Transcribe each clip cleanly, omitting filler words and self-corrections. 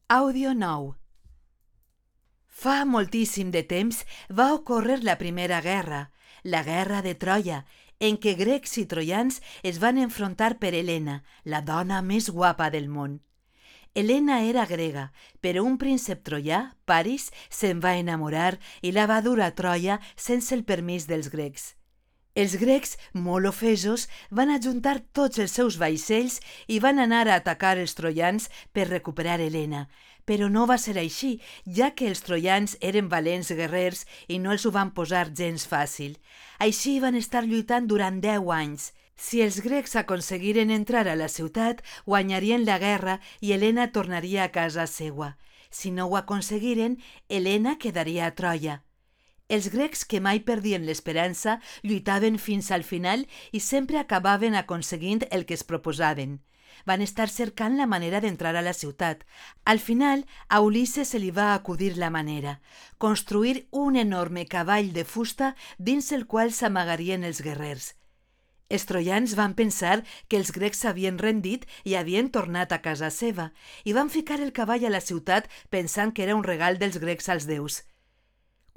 Àudio 9. Fa moltíssim de temps va ocórrer la primera guerra, la guerra de Troia, en què grecs i troians es van enfrontar per Helena, la dona més guapa del món. Helena era grega, però un príncep troià, Paris, se'n va enamorar i la va dur a Troia sense el permís dels grecs. Els grecs, molt ofesos, van ajuntar tots els seus vaixells i van anar a atacar els troians per recuperar Helena. Però no va ser així, ja que els troians eren valents guerrers i no els ho van posar gens fàcil. Així van estar lluitant durant 10 anys. Si els grecs aconseguiren entrar a la ciutat, guanyarien la guerra i Helena tornaria a casa seua. Si no ho aconseguiren, Helena quedaria a Troia. Els grecs, que mai perdien l'esperança, lluitaven fins al final i sempre acabaven aconseguint el que es proposaven. Van estar cercant la manera d'entrar a la ciutat. Al final, a Ulisses se li va acudir la manera: construir un enorme cavall de fusta dins el qual s'amagarien els guerrers. Els troians van pensar que els grecs s'havien rendit i havien tornat a casa seva, i van ficar el cavall a la ciutat pensant que era un regal dels grecs als déus.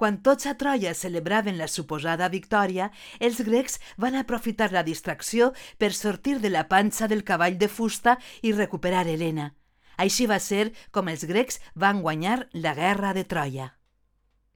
Quan tots a Troia celebraven la suposada victòria, els grecs van aprofitar la distracció per sortir de la panxa del cavall de fusta i recuperar Helena. Així va ser com els grecs van guanyar la guerra de Troia.